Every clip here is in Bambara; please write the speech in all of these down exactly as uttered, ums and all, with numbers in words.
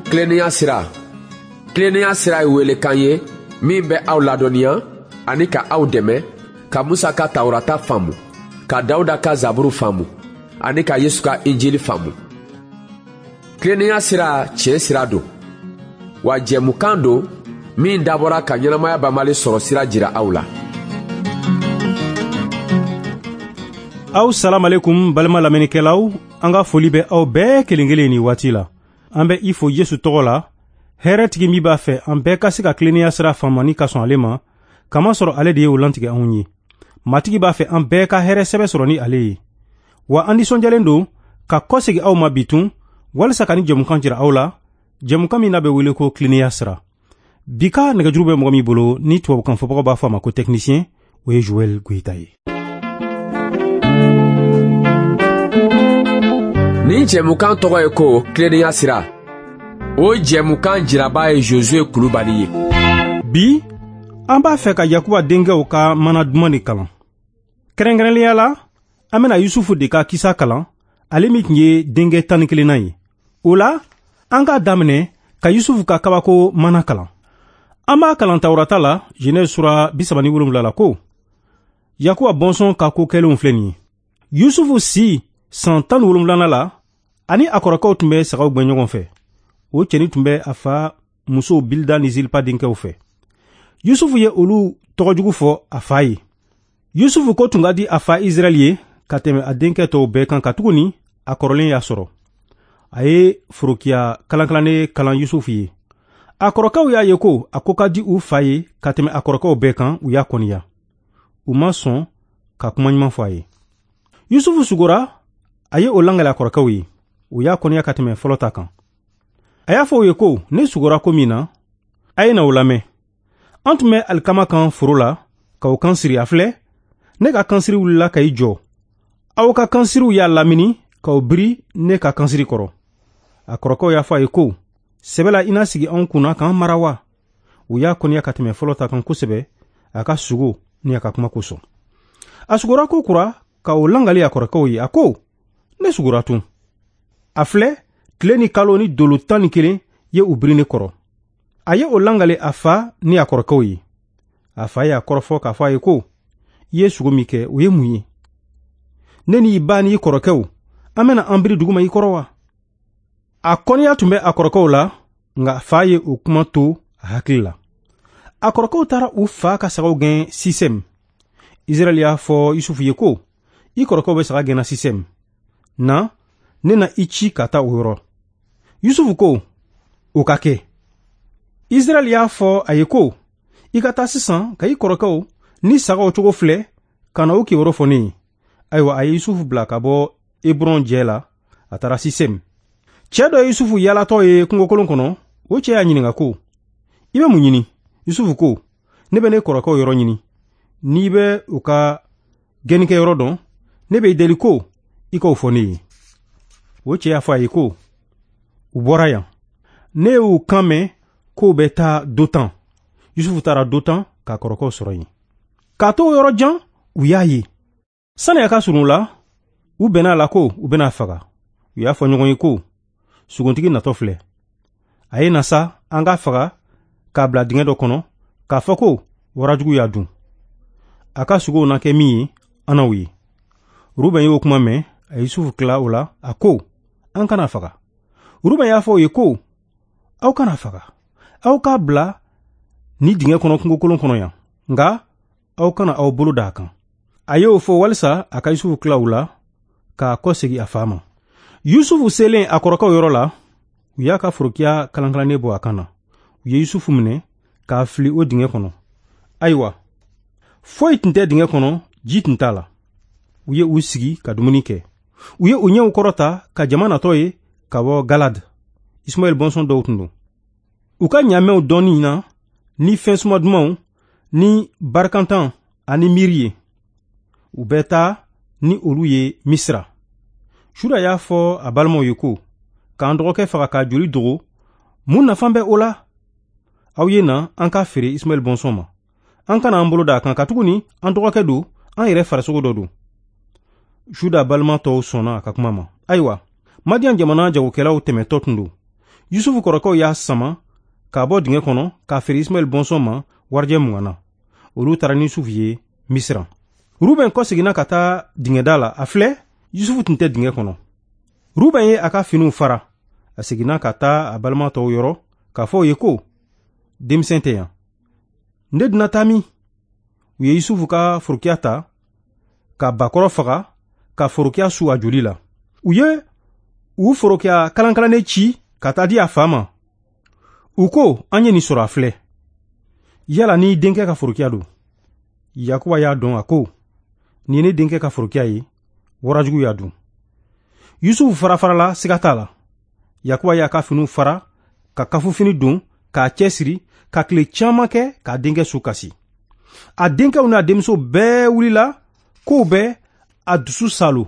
Tilennenya sira. Tilennenya sira ye welekan ye min bɛ aw ladɔnniya ani ka aw dɛmɛ ka Musa ka Tawurata faamu, ka Dawuda ka Zaburu faamu ani ka Yesu ka Injili faamu. Tilennenya sira tiɲɛ sira don, wa jɛmukan don min dabɔra ka ɲɛnamaya banbali sɔrɔ sira jira aw la. Aw salamalekum balima lamɛnnikɛlaw, an ka foli bɛ aw bɛɛ kelen kelen nin waati la. An bɛ i fo Yesu tɔgɔ la, hɛrɛtigi min b'a fɛ an bɛɛ ka se ka tilennenya sira faamu ni ka sɔn ale ma, kamasɔrɔ ale de ye o lantigɛ anw ye. Matigi b'a fɛ an bɛɛ ka hɛrɛ sɛbɛ sɔrɔ ni ale ye. Wa an nisɔndiyalen don ka kɔsegin aw ma bi tun, walisa ka ni jɛmukan jira aw la, jɛmukan min n'a bɛ wele ko tilennenya sira. Bi ka nɛgɛjuru bɛ mɔgɔ min bolo ni tubabukan fɔbagaw b'a fɔ a ma ko technicien, o ye Joël Goyita ye. Nin jɛmukan tɔgɔ ye ko tilennenya sira. O jɛmukan jiraba ye Josué Kulubali ye. Bi an b'a fɛ ka Yakuba denkɛw ka mana duman de kalan. Kɛrɛnkɛrɛnnenya la, an bɛna Yusufu de ka kisa kalan, ale min tun ye denkɛ tan ni kelennan ye. O la, an k'a daminɛ ka Yusufu ka kabako mana kalan. An b'a kalan Tawurata la, Genèse sura bi saba ni wolonwula la ko Yakuba bɔnsɔn ka ko kɛlenw filɛ nin ye. Yusufu si san tan ni wolonwulanan la, ani a kɔrɔkɛw tun bɛ sagaw gɛn ɲɔgɔn fɛ. O cɛnin tun bɛ a fa musow Bilda ni Zilpa denkɛw fɛ. Yusufu ye olu tɔgɔjugu fɔ a fa ye. Yusufu ko tun ka di a fa Israɛl ye ka tɛmɛ a denkɛ tɔw bɛɛ kan, katuguni a kɔrɔlen y'a sɔrɔ. A ye forokiya kalankalannen kalan Yusufu ye. A kɔrɔkɛw y'a ye ko a ko ka di u fa ye ka tɛmɛ a kɔrɔkɛw bɛɛ kan, u y'a kɔniya. U ma sɔn ka kuma ɲuman fɔ a ye. Yusufu sugora, a ye o langali a kɔrɔkɛw ye. U y'a kɔniya ka tɛmɛ fɔlɔ ta kan. A y'a fɔ u ye ko ne sugora ko min na, a ye na o lamɛn. An tun bɛ alikama kan foro la ka o kan siri, a filɛ, ne ka kansiri wulila ka i jɔ. Aw ka kansiriw y'a lamini k'aw biri ne ka kansiri kɔrɔ. A kɔrɔkɛw y'a fɔ a ye ko sɛbɛ la i na sigi anw kunna k'an mara wa? U y'a kɔniya ka tɛmɛ fɔlɔ ta kan kosɛbɛ, a ka sugo ni a ka kuma kosɔn. A sugora ko kura ka o langali a kɔrɔkɛw ye. A ko ne sugora tun. A filɛ, tile ni kalo ni dolo tan ni kelen ye u biri ne kɔrɔ. A ye o langali a fa ni a kɔrɔkɛw ye. A fa y'a kɔrɔfɔ k'a fɔ a ye ko i ye sugo min kɛ, o ye mun ye? Ne ni i ba ni i kɔrɔkɛw, an bɛna an biri duguma i kɔrɔ wa? A kɔniya tun bɛ a kɔrɔkɛw la, nka fa ye o kuma to a hakili la. A kɔrɔkɛw taara u fa ka sagaw gɛn Sisɛm. Israɛl y'a fɔ Yusufu ye ko i kɔrɔkɛw bɛ saga gɛnna Sisɛm. Na, ne na i ci ka taa o yɔrɔ. Yusufu ko o ka kɛ. Israɛl y'a fɔ a ye ko i ka taa sisan ka i kɔrɔkɛw ni sagaw cogo filɛ ka na o kibaru fɔ ne ye. Ayiwa, a ye Yusufu bila ka bɔ Hebron jɛ la, a taara Sisɛm. Cɛ dɔ ye Yusufu yaalatɔ ye kungokolon kɔnɔ. O cɛ y'a ɲininka ko i bɛ mun ɲini? Yusufu ko ne bɛ ne kɔrɔkɛw yɔrɔ ɲini. N'i bɛ u ka gɛnnikɛyɔrɔ dɔn, ne bɛ i deli ko i k'o fɔ ne ye. O cɛ y'a fɔ a ye ko u bɔra yan. Ne y'u kan mɛn k'o bɛ taa Dotan. Yusufu taara Dotan k'a kɔrɔkɛw sɔrɔ yen. K'a to o yɔrɔ jan, u y'a ye. Sani a ka surun u la, u bɛnna a la ko u bɛna a faga. U y'a fɔ ɲɔgɔn ye ko suguntigi natɔ filɛ. A ye na sa, an k'a faga k'a bila dingɛ dɔ kɔnɔ, k'a fɔ ko warajugu y'a dun. A ka sugow na kɛ min ye, an n'aw ye. Ruben y'o kuma mɛn, a ye Yusufu tila o la, a ko an kana faga. Ruben y'a fɔ u ye ko aw kana faga. Aw k'a bila ni dingɛ kɔnɔ kungokolon kɔnɔ yan, nka aw kana aw bolo d'a kan. A y'o fɔ walisa a ka Yusufu tila u la k'a kɔsegin a fa ma. Yusufu selen a kɔrɔkɛw yɔrɔ la, u y'a ka forokiya kalankalannen bɔ a kan na. U ye Yusufu minɛ k'a fili o dingɛ kɔnɔ. Ayiwa, foyi tun tɛ dingɛ kɔnɔ, ji tun t'a la. U ye u sigi ka dumuni kɛ. U ye u ɲɛw kɔrɔta ka jama natɔ ye ka bɔ Galad. Ismaɛl bɔnsɔn dɔw tun don. U ka ɲaamɛw dɔɔni na ni fɛn suma dumanw ni barikantan ani miiri ye. U bɛ taa ni olu ye Misira. Juda y'a fɔ a balimaw ye ko k'an dɔgɔkɛ faga k'a joli dogo, mun nafa bɛ o la? Aw ye na an k'a feere Ismaɛl bɔnsɔn ma. An kana an bolo d'a kan, katuguni an dɔgɔkɛ don, an yɛrɛ farisogo dɔ don. Juda balima tɔw sɔnna a ka kuma ma. Ayiwa, Madian jamana jagokɛlaw tɛmɛtɔ tun don. Yusufu kɔrɔkɛw y'a sama k'a bɔ dingɛ kɔnɔ k'a feere Ismaɛl bɔnsɔn ma warijɛ mugan na. Olu taara ni Yusufu ye Misira. Ruben kɔseginna ka taa dingɛda la. A filɛ, Yusufu tun tɛ dingɛ kɔnɔ. Ruben ye a ka finiw fara. A seginna ka taa a balima tɔw yɔrɔ k'a fɔ u ye ko, denmisɛn tɛ yan. Ne dun taa min? U ye Yusufu ka forokiya ta, ka bakɔrɔ faga, ka forokiya su a joli la. U ye u forokiya kalankalannen ci ka taa di a fa ma. U ko, an ye nin sɔrɔ a filɛ. Yala ni denkɛ ka forokiya don? Yakuba y'a dɔn, a ko, nin ye ne denkɛ ka forokiya ye, warajugu y'a dun. Yusufu farafarala, siga t'a la. Yakuba y'a ka finiw fara, ka kafufini don, k'a cɛsiri, ka tile caman kɛ k'a denkɛ su kasi. A denkɛw n'a denmuso bɛɛ wulila k'o bɛ a dusu salo.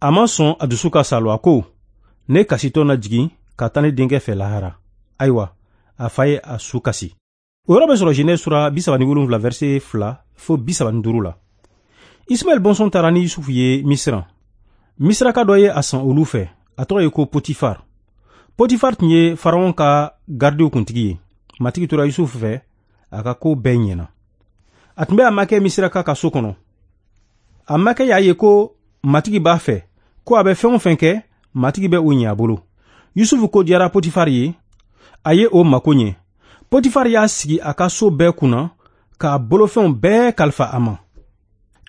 A ma sɔn a dusu ka salo, a ko, ne kasitɔ na jigin ka taa ne denkɛ fɛ lahara. Ayiwa, a fa ye a su kasi. O yɔrɔ bɛ sɔrɔ Genèse sura bi saba ni wolonwula verset fila fo bi saba ni duuru la. Ismaɛl bɔnsɔn taara ni Yusufu ye Misira. Misiraka dɔ ye a san olu fɛ, a tɔgɔ ye ko Potifar. Potifar tun ye Faraon ka gardiw kuntigi ye. Matigi tora Yusufu fɛ, a ka ko bɛɛ ɲɛna. A tun bɛ a makɛ Misiraka ka so kɔnɔ. A makɛ y'a ye ko Matigi b'a fɛ, ko a bɛ fɛn o fɛn kɛ, Matigi bɛ o ɲɛ a bolo. Yusufu ko diyara Potifar ye, a ye o mako ɲɛ. Potifar y'a sigi a ka so bɛɛ kunna k'a bolofɛnw bɛɛ kalifa a ma.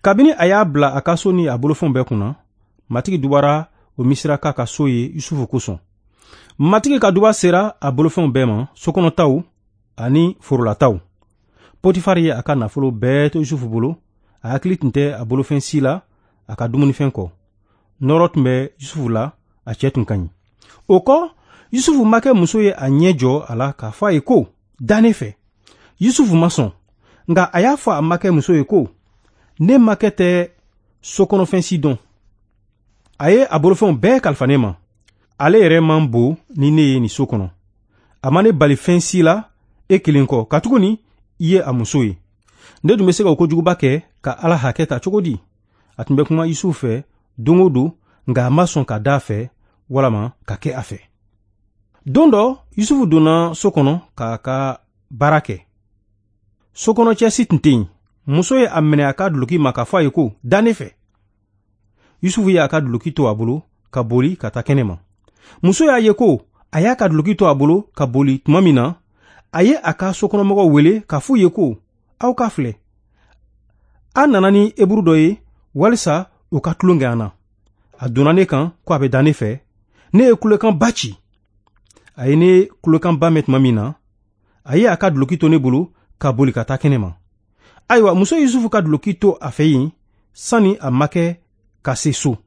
Kabini a y'a bila a ka so ni a bolofɛnw bɛɛ kunna, Matigi dubara o Misiraka ka so ye Yusufu kosɔn. Matigi ka duba sera a bolofɛnw bɛɛ ma, sokɔnɔtaw ani forolataw. Potifar ye a ka nafolo bɛɛ to Yusufu bolo, a hakili tun tɛ a bolofɛn si la a ka dumunifɛn kɔ. Nɔrɔ tun bɛ Yusufu la, a cɛ tun ka ɲi. O kɔ, Yusufu makɛ muso ye a ɲɛ jɔ a la k'a fɔ a ye ko, da ne fɛ. Yusufu ma sɔn, nka a y'a fɔ a makɛ muso ye ko, ne makɛ tɛ sokɔnɔfɛn si dɔn. A ye a bolofɛnw bɛɛ kalifa ne ma. Ale yɛrɛ man bon ni ne ye nin so kɔnɔ. A ma ne bali fɛn si la e kelen kɔ, katuguni i ye a muso ye. Ne dun bɛ se ka o kojuguba kɛ ka Ala hakɛ ta cogo di? A tun bɛ kuma Yusufu fɛ don o don, nka a ma sɔn ka da a fɛ walama ka kɛ a fɛ. Don dɔ, Yusufu donna so kɔnɔ k'a ka baara kɛ. Sokɔnɔcɛ si tun tɛ yen. Muso ye a minɛ a ka duloki ma k'a fɔ a ye ko, da ne fɛ. Yusufu ye a ka duloki to a bolo ka boli ka taa kɛnɛ ma. Muso y'a ye ko a y'a ka duloki to a bolo ka boli tuma min na, a ye a ka sokɔnɔmɔgɔw wele k'a f'u ye ko, aw ka filɛ, a nana ni eburu dɔ ye walisa o ka tulon kɛ an na. A donna ne kan ko a bɛ da ne fɛ. Ne ye kulekanba ci. A ye ne kulekanba mɛn tuma min na, a ye a ka duloki to ne bolo ka boli ka taa kɛnɛ ma. Ayiwa, muso Yusufu ka duloki to a fɛ yen sani a makɛ ka se so.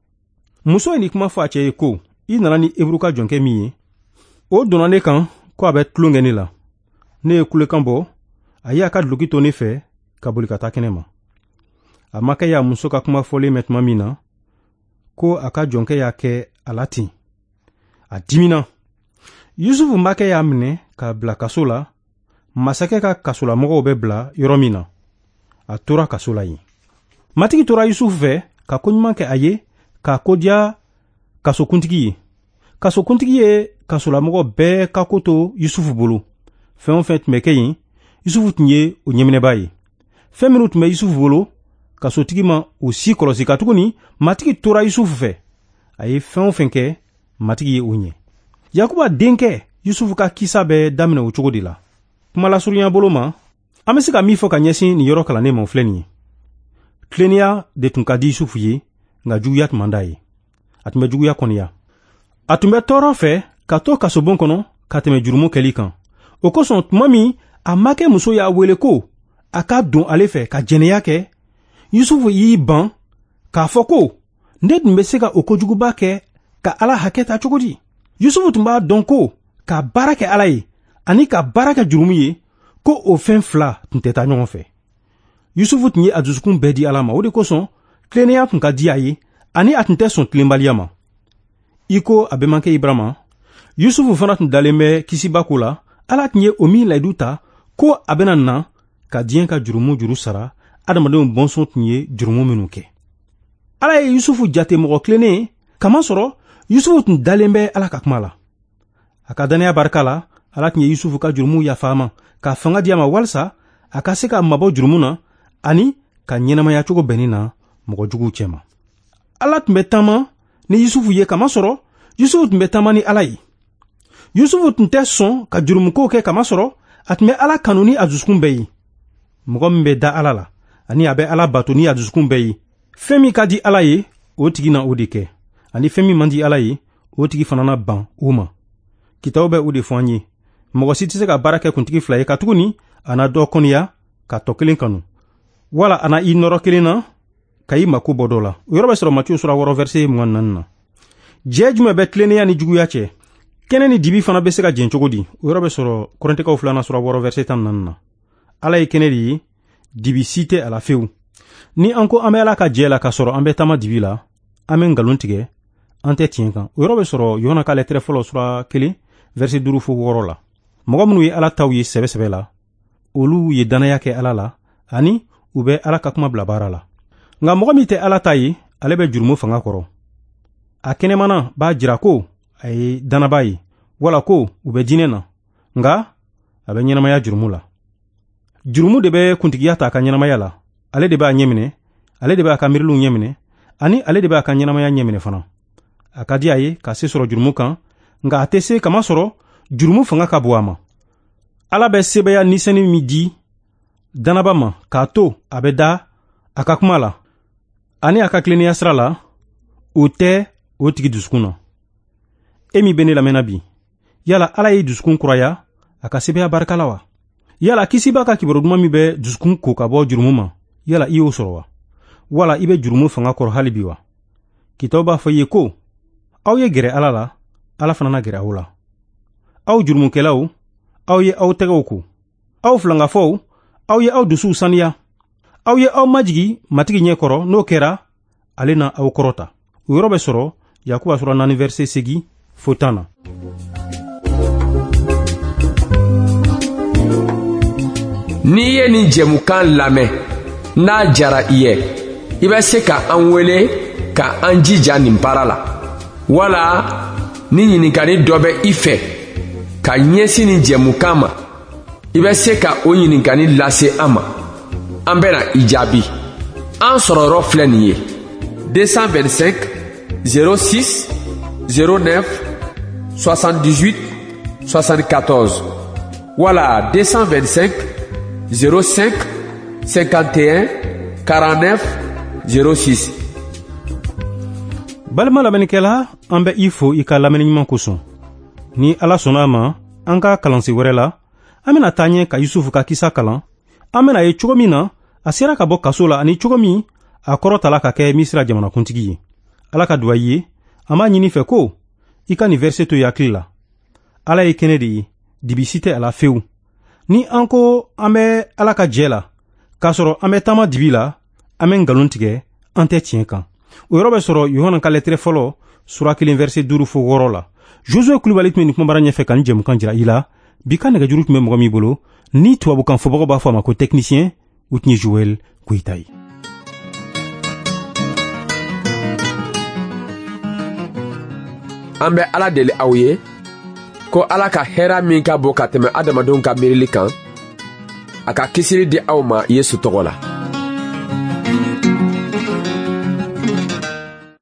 Muso ye nin kuma fɔ a cɛ ye ko, i nana ni eburu ka jɔnkɛ min ye, o donna ne kan ko a bɛ tulon kɛ ne la. Ne ye kulekan bɔ, a ye a ka duloki to ne fɛ ka boli ka taa kɛnɛ ma. A makɛ y'a muso ka kuma fɔlen mɛn tuma min na, ko a ka jɔnkɛ y'a kɛ a la ten, a dimina. Yusufu makɛ y'a minɛ k'a bila kaso la, masakɛ ka kasolamɔgɔw bɛ bila yɔrɔ min na. A tora kaso la yen. Matigi tora Yusufu fɛ ka koɲuman kɛ a ye, k'a kodiya kasokuntigi ye. Kasokuntigi ye kasolamɔgɔ bɛɛ ka ko to Yusufu bolo. Fɛn o fɛn tun bɛ kɛ yen, Yusufu tun ye o ɲɛminɛbaa ye. Fɛn minnu tun bɛ Yusufu bolo, kasotigi ma o si kɔlɔsi, katuguni Matigi tora Yusufu fɛ. A ye fɛn o fɛn kɛ, Matigi ye o ɲɛ. Yakuba denkɛ Yusufu ka kisa bɛ daminɛ o cogo de la. Kuma lasurunya bolo ma, an bɛ se ka min fɔ ka ɲɛsin nin yɔrɔ kalannen ma, o filɛ nin ye. Tilennenya de tun ka di Yusufu ye, nka juguya tun man d'a ye. A tun bɛ juguya kɔniya. A tun bɛ tɔɔrɔ fɛ ka to kasobon kɔnɔ ka tɛmɛ jurumu kɛli kan. O kosɔn, tuma min a makɛ muso y'a wele ko a ka don ale fɛ ka jɛnɛya kɛ, Yusufu y'i ban k'a fɔ ko, ne tun bɛ se ka o kojuguba kɛ ka Ala hakɛ ta cogo di? Yusufu tun b'a dɔn ko ka baara kɛ Ala ye ani ka baara kɛ jurumu ye, ko o fɛn fila tun tɛ taa ɲɔgɔn fɛ. Yusufu tun ye a dusukun bɛɛ di Ala ma. O de kosɔn tilennenya tun ka di a ye, ani a tun tɛ sɔn tilenbaliya ma. I ko a bɛnbakɛ Ibrahima, Yusufu fana tun dalen bɛ kisiba ko la. Ala tun ye o min layidu ta ko a bɛna na ka diɲɛ ka jurumu juru sara, adamadenw bɔnsɔn tun ye jurumu minnu kɛ. Ala ye Yusufu jate mɔgɔ tilennen ye, kamasɔrɔ Yusufu tun dalen bɛ Ala ka kuma la. A ka dannaya barika la, Ala tun ye Yusufu ka jurumu yafa a ma, ka fanga di a ma walisa a ka se ka mabɔ jurumu na ani ka ɲɛnamaya cogo bɛnnin na mɔgɔ juguw cɛma. Ala tun bɛ taama ni Yusufu ye, kamasɔrɔ Yusufu tun bɛ taama ni Ala ye. Yusufu tun tɛ sɔn ka jurumukow kɛ, kamasɔrɔ a tun bɛ Ala kanu ni a dusukun bɛɛ ye. Mɔgɔ min bɛ da Ala la ani a bɛ Ala bato ni a dusukun bɛɛ ye, fɛn min ka di Ala ye, o tigi na o de kɛ, ani fɛn min man di Ala ye, o tigi fana na ban o ma. Kitabu bɛ o de fɔ an ye. Mɔgɔ si tɛ se ka baara kɛ kuntigi fila ye, katuguni a na dɔ kɔniya ka tɔ kelen kanu, wala a na i nɔrɔ kelen na ka i mako bɔ dɔ la. O yɔrɔ bɛ sɔrɔ Matiyu sura wɔɔrɔ verset mugan ni naani na. Jɛ jumɛn bɛ tilennenya ni juguya cɛ? Kɛnɛ ni dibi fana bɛ se ka jɛn cogo di? O yɔrɔ bɛ sɔrɔ Kɔrɛntɛkaw filanan sura wɔɔrɔ verset tan ni naani na. Ala ye kɛnɛ de ye, dibi si tɛ a la fewu. Ni an ko an bɛ Ala ka jɛ la k'a sɔrɔ an bɛ taama dibi la, an bɛ nkalon tigɛ, an tɛ tiɲɛ kan. O yɔrɔ bɛ sɔrɔ Yohana ka lɛtɛrɛ fɔlɔ sura kelen verset duuru fo wɔɔrɔ la. Mɔgɔ minnu ye Ala taw ye sɛbɛ sɛbɛ la, olu ye dannaya kɛ Ala la ani u bɛ Ala ka kuma bila baara la. Nka mɔgɔ min tɛ Ala ta ye, ale bɛ jurumu fanga kɔrɔ. A kɛnɛmana b'a jira ko a ye dannaba ye, wala ko u bɛ diinɛ na, nka a bɛ ɲɛnamaya jurumu la. Jurumu de bɛ kuntigiya ta a ka ɲɛnamaya la. Ale de b'a ɲɛminɛ, ale de b'a ka miiriliw ɲɛminɛ, ani ale de b'a ka ɲɛnamaya ɲɛminɛ fana. A ka di a ye ka se sɔrɔ jurumu kan, nka a tɛ se, kamasɔrɔ jurumu fanga ka bon a ma. Ala bɛ sebaya nisɛni min di dannaba ma k'a to a bɛ da a ka kuma la ani a ka tilennenya sira la, o tɛ o tigi dusukun na. E min bɛ ne lamɛnna bi, yala Ala ye dusukun kuraya a ka sebaya barika la wa? Yala kisiba ka kibaru duman min bɛ dusukun ko ka bɔ jurumu ma, yala i y'o sɔrɔ wa? Wala i bɛ jurumu fanga kɔrɔ hali bi wa? Kitabu b'a fɔ i ye ko aw ye gɛrɛ Ala la, Ala fana na gɛrɛ aw la. Aw jurumukɛlaw, aw ye aw tɛgɛw ko. Aw filankafɔw, aw ye aw dusuw saniya. Aw ye aw majigi Matigi ɲɛ kɔrɔ, n'o kɛra ale na aw kɔrɔta. O yɔrɔ bɛ sɔrɔ Yakuba sura naani verset seegin fo tan na. N'i ye nin jɛmukan lamɛn, n'a jara i ye, i bɛ se ka an wele ka an jija nin baara la, wala ni ɲininkali dɔ bɛ i fɛ ka ɲɛsin nin jɛmukan ma, i bɛ se ka o ɲininkali lase an ma. An bɛna i jaabi. An sɔrɔyɔrɔ filɛ nin ye: deux cent vingt-cinq zéro six zéro neuf soixante-dix-huit soixante-quatorze wala deux cent vingt-cinq zéro cinq cinquante et un quarante-neuf zéro six. Balima lamɛnnikɛla, an bɛ i fo i ka lamɛnni ɲuman kosɔn. Ni Ala sɔnna a ma, an ka kalansen wɛrɛ la, an bɛna taa ɲɛ ka Yusufu ka kisa kalan. An bɛna ye cogo min na a sera ka bɔ kaso la, ani cogo min a kɔrɔtala ka kɛ Misira jamanakuntigi ye. Ala ka duwa i ye. An b'a ɲini fɛ ko i ka nin verset to i hakili la. Ala ye kɛnɛ de ye, dibi si tɛ a la fewu. Ni an ko an bɛ Ala ka jɛ la k'a sɔrɔ an bɛ taama dibi la, an bɛ nkalon tigɛ, an tɛ tiɲɛ kan. O yɔrɔ bɛ sɔrɔ Yohana ka lɛtɛrɛ fɔlɔ sura kelen verset duuru fo wɔɔrɔ la. Josué Kulubali tun bɛ nin kumabara ɲɛfɛ ka nin jɛmukan jira i la. Bi ka nɛgɛjuru tun bɛ mɔgɔ min bolo, ni tubabukan fɔbagaw b'a fɔ a ma ko technicien, o tun ye Joël Koyita ye. An bɛ Ala deli aw ye ko Ala ka hɛrɛ min ka bon ka tɛmɛ adamadenw ka miirili kan, a ka kisili di aw ma Yesu tɔgɔ la.